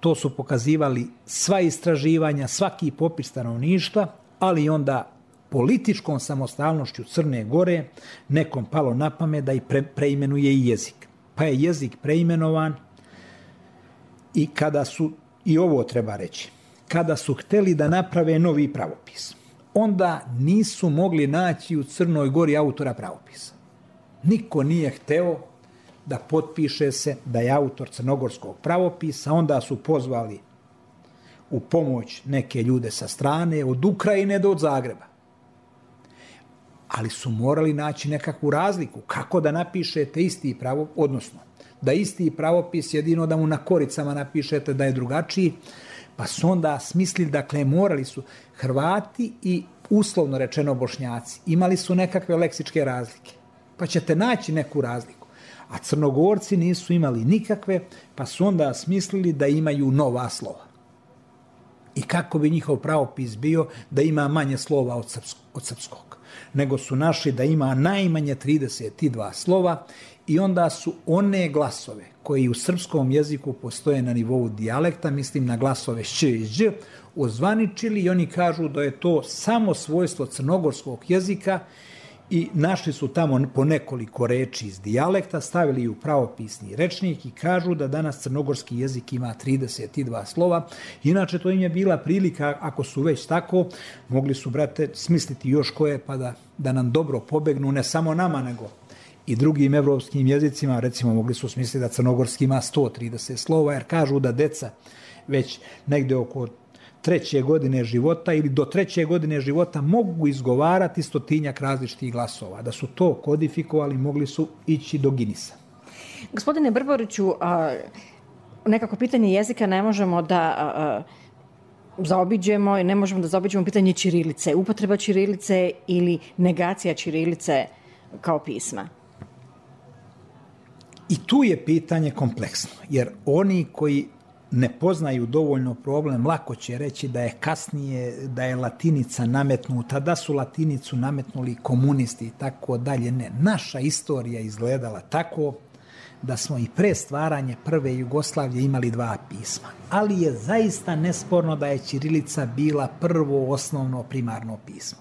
To su pokazivali sva istraživanja, svaki popis stanovništva, ali onda političkom samostalnošću Crne Gore nekom palo na pamet da i preimenuje i jezik. Pa je jezik preimenovan i kada su, i ovo treba reći, kada su hteli da naprave novi pravopis, onda nisu mogli naći u Crnoj Gori autora pravopisa. Niko nije hteo da potpiše se da je autor crnogorskog pravopisa, onda su pozvali u pomoć neke ljude sa strane, od Ukrajine do od Zagreba. Ali su morali naći nekakvu razliku. Kako da napišete isti pravopis, odnosno da isti pravopis jedino da mu na koricama napišete da je drugačiji, pa su onda smislili, dakle morali su Hrvati i uslovno rečeno Bošnjaci, imali su nekakve leksičke razlike, pa ćete naći neku razliku. A Crnogorci nisu imali nikakve, pa su onda smislili da imaju nova slova. I kako bi njihov pravopis bio da ima manje slova od srpskog. Nego su našli da ima najmanje 32 slova i onda su one glasove koji u srpskom jeziku postoje na nivou dijalekta, mislim na glasove š i ž, ozvaničili i oni kažu da je to samo svojstvo crnogorskog jezika i našli su tamo po nekoliko reči iz dijalekta, stavili u pravopisni rečnik i kažu da danas crnogorski jezik ima 32 slova. Inače, to im je bila prilika, ako su već tako, mogli su, brate, smisliti još koje pa da nam dobro pobegnu, ne samo nama, nego i drugim evropskim jezicima. Recimo, mogli su smisliti da crnogorski ima 130 slova, jer kažu da deca već negde oko 3. godine života ili do 3. godine života mogu izgovarati 100-tinjak različitih glasova. Da su to kodifikovali, mogli su ići do Ginisa. Gospodine Brboriću, nekako pitanje jezika ne možemo da zaobiđemo i ne možemo da zaobiđemo pitanje ćirilice, upotreba ćirilice ili negacija ćirilice kao pisma. I tu je pitanje kompleksno, jer oni koji ne poznaju dovoljno problem, lako će reći da je kasnije, da je latinica nametnuta, da su latinicu nametnuli komunisti i tako dalje. Ne, naša istorija izgledala tako da smo i pre stvaranja prve Jugoslavije imali 2 pisma. Ali je zaista nesporno da je ćirilica bila prvo osnovno primarno pismo.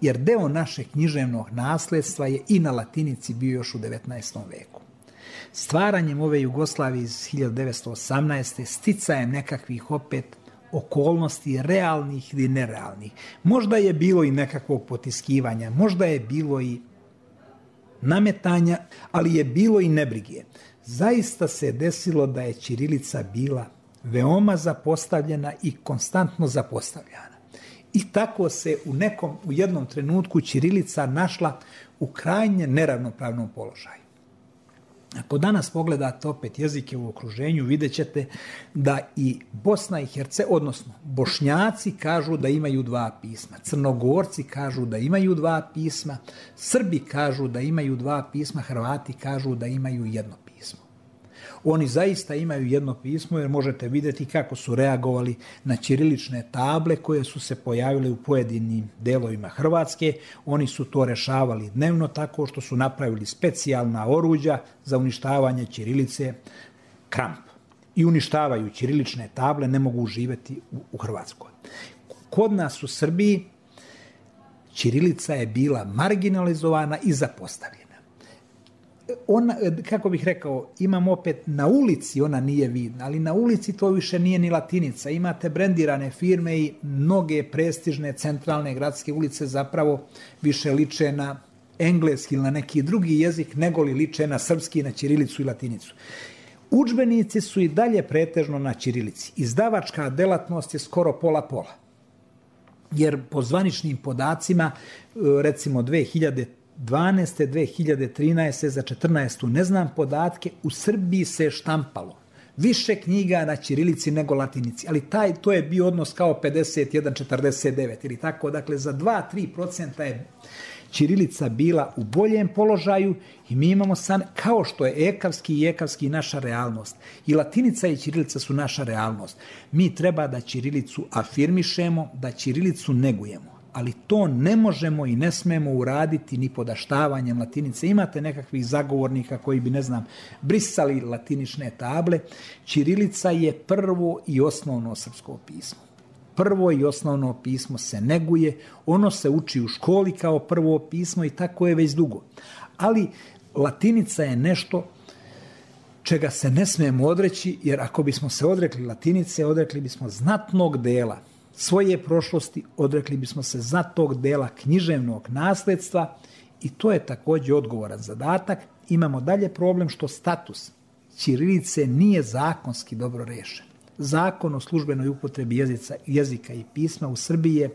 Jer deo našeg književnog nasledstva je i na latinici bio još u 19. veku. Stvaranjem ove Jugoslavije iz 1918. sticajem nekakvih opet okolnosti realnih ili nerealnih. Možda je bilo i nekakvog potiskivanja, možda je bilo i nametanja, ali je bilo i nebrige. Zaista se desilo da je ćirilica bila veoma zapostavljena i konstantno zapostavljana. I tako se u jednom trenutku ćirilica našla u krajnje neravnopravnom položaju. Ako danas pogledate opet jezike u okruženju, vidjet ćete da i Bosna i Hercegovina, odnosno Bošnjaci kažu da imaju dva pisma, Crnogorci kažu da imaju dva pisma, Srbi kažu da imaju dva pisma, Hrvati kažu da imaju jedno pismo. Oni zaista imaju jedno pismo jer možete vidjeti kako su reagovali na ćirilične table koje su se pojavile u pojedinim delovima Hrvatske. Oni su to rešavali dnevno tako što su napravili specijalna oruđa za uništavanje ćirilice, kramp. I uništavaju ćirilične table, ne mogu živjeti u Hrvatskoj. Kod nas u Srbiji ćirilica je bila marginalizovana i zapostavljena. Ona, kako bih rekao, imam opet na ulici, ona nije vidna, ali na ulici to više nije ni latinica. Imate brendirane firme i mnoge prestižne centralne gradske ulice zapravo više liče na engleski ili na neki drugi jezik nego li liče na srpski, na ćirilicu i latinicu. Udžbenici su i dalje pretežno na ćirilici. Izdavačka delatnost je skoro pola-pola. Jer po zvaničnim podacima, recimo 2012. 2013. za 14. ne znam podatke, u Srbiji se štampalo više knjiga na ćirilici nego latinici, ali to je bio odnos kao 51-49 ili tako, dakle za 2-3% je ćirilica bila u boljem položaju i mi imamo sad, kao što je ekavski naša realnost. I latinica i ćirilica su naša realnost. Mi treba da ćirilicu afirmišemo, da ćirilicu negujemo. Ali to ne možemo i ne smemo uraditi ni podaštavanjem latinice. Imate nekakvih zagovornika koji bi, ne znam, brisali latinične table. Ćirilica je prvo i osnovno srpsko pismo. Prvo i osnovno pismo se neguje, ono se uči u školi kao prvo pismo i tako je već dugo. Ali latinica je nešto čega se ne smemo odreći, jer ako bismo se odrekli latinice, odrekli bismo znatnog dela svoje prošlosti, odrekli bismo se znatnog dela književnog nasledstva i to je također odgovoran zadatak. Imamo dalje problem što status ćirilice nije zakonski dobro rešen. Zakon o službenoj upotrebi jezika i pisma u Srbiji je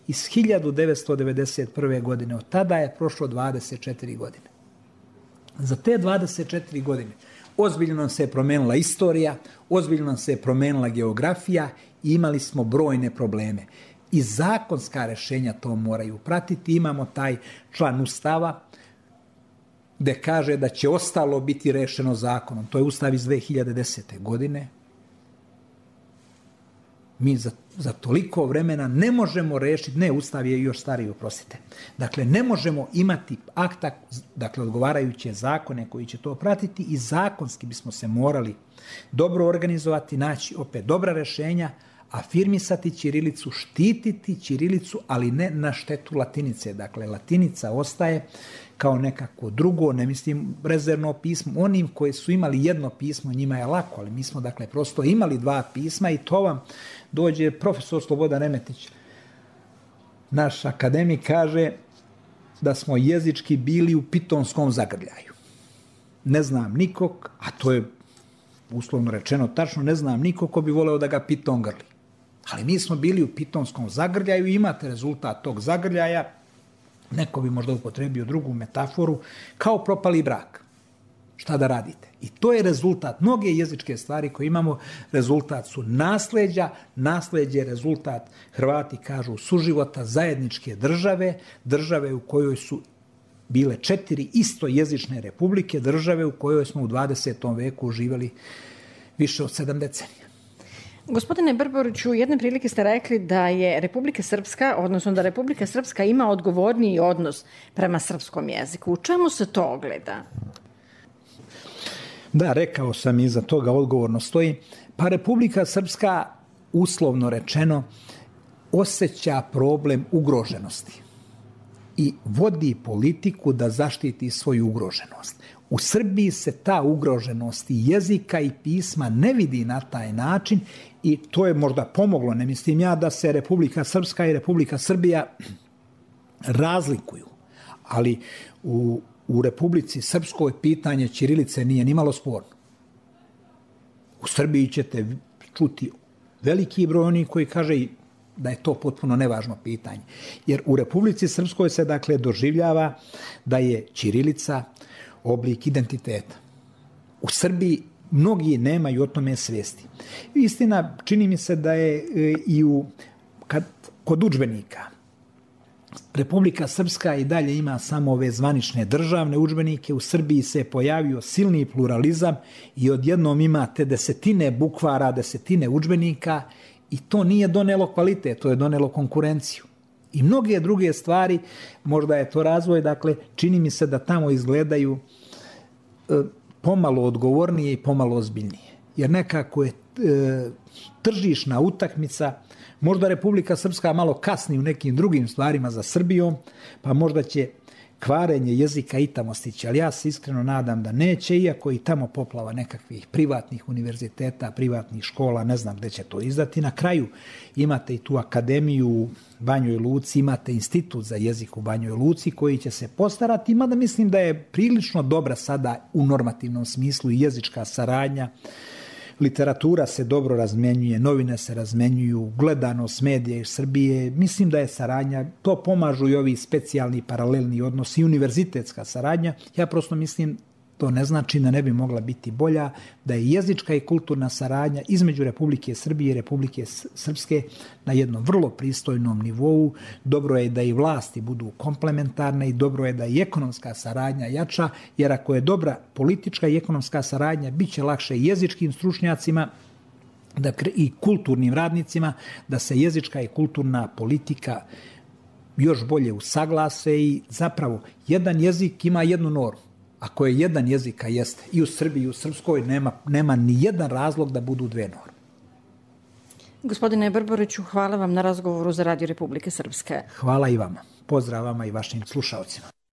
iz 1991. godine. Od tada je prošlo 24 godine. Za te 24 godine ozbiljno nam se je promenila istorija, ozbiljno nam se je promenila geografija i imali smo brojne probleme. I zakonska rešenja to moraju pratiti. Imamo taj član Ustava gde kaže da će ostalo biti rešeno zakonom. To je Ustav iz 2010. godine. Mi za toliko vremena ne možemo rešiti, ne, Ustav je još stariji, oprostite. Dakle, ne možemo imati akta, dakle, odgovarajuće zakone koji će to pratiti i zakonski bismo se morali dobro organizovati, naći opet dobra rešenja, afirmisati ćirilicu, štititi ćirilicu, ali ne na štetu latinice. Dakle, latinica ostaje kao nekako drugo, ne mislim rezervno pismo. Onim koji su imali jedno pismo, njima je lako, ali mi smo, dakle, prosto imali dva pisma i to vam dođe profesor Slobodan Remetić, naš akademik, kaže da smo jezički bili u pitonskom zagrljaju. Ne znam nikog, a to je uslovno rečeno tačno, ne znam nikog ko bi voleo da ga piton grli. Ali mi smo bili u pitonskom zagrljaju i imate rezultat tog zagrljaja, neko bi možda upotrebio drugu metaforu, kao propali brak. Šta da radite? I to je rezultat. Mnoge jezičke stvari koje imamo, rezultat su nasleđa, nasleđe je rezultat, Hrvati kažu, suživota zajedničke države, države u kojoj su bile 4 istojezične republike, države u kojoj smo u 20. veku živjeli više od 7 decenija. Gospodine Brboriću, jedne prilike ste rekli da je Republika Srpska, odnosno da Republika Srpska ima odgovorniji odnos prema srpskom jeziku. U čemu se to ogleda? Da, rekao sam i za toga odgovorno stoji. Pa Republika Srpska, uslovno rečeno, osjeća problem ugroženosti i vodi politiku da zaštiti svoju ugroženost. U Srbiji se ta ugroženost jezika i pisma ne vidi na taj način i to je možda pomoglo. Ne mislim ja da se Republika Srpska i Republika Srbija razlikuju, ali u Republici Srpskoj pitanje ćirilice nije nimalo sporno. U Srbiji ćete čuti veliki broj onih koji kaže da je to potpuno nevažno pitanje. Jer u Republici Srpskoj se, dakle, doživljava da je ćirilica oblik identiteta. u Srbiji mnogi nemaju o tome svijesti. Istina, čini mi se da je i kod udžbenika Republika Srpska i dalje ima samo ove zvanične državne udžbenike. U Srbiji se pojavio silni pluralizam i odjednom imate desetine bukvara, desetine udžbenika i to nije donelo kvalitet, to je donelo konkurenciju. I mnoge druge stvari, možda je to razvoj, dakle, čini mi se da tamo izgledaju pomalo odgovornije i pomalo ozbiljnije. Jer nekako je tržišna utakmica, možda Republika Srpska malo kasni u nekim drugim stvarima za Srbijom, pa možda će kvarenje jezika i tamo stići, ali ja se iskreno nadam da neće, iako i tamo poplava nekakvih privatnih univerziteta, privatnih škola, ne znam gde će to izdati. Na kraju imate i tu akademiju u Banjoj Luci, imate institut za jezik u Banjoj Luci koji će se postarati, mada mislim da je prilično dobra sada u normativnom smislu i jezička saradnja. Literatura se dobro razmenjuje, novine se razmenjuju, gledanost medija iz Srbije. Mislim da je saradnja, to pomažu i ovi specijalni paralelni odnosi i univerzitetska saradnja. Ja prosto mislim, to ne znači da ne bi mogla biti bolja, da je jezička i kulturna saradnja između Republike Srbije i Republike Srpske na jednom vrlo pristojnom nivou. Dobro je da i vlasti budu komplementarne i dobro je da i ekonomska saradnja jača, jer ako je dobra politička i ekonomska saradnja, bit će lakše jezičkim stručnjacima i kulturnim radnicima da se jezička i kulturna politika još bolje usaglase i zapravo jedan jezik ima jednu normu. Ako je jedan jezik, a jeste, i u Srbiji i u Srpskoj, nema ni jedan razlog da budu dve norme. Gospodine Brboriću, hvala vam na razgovoru za Radio Republike Srpske. Hvala i vama. Pozdrav vama i vašim slušalcima.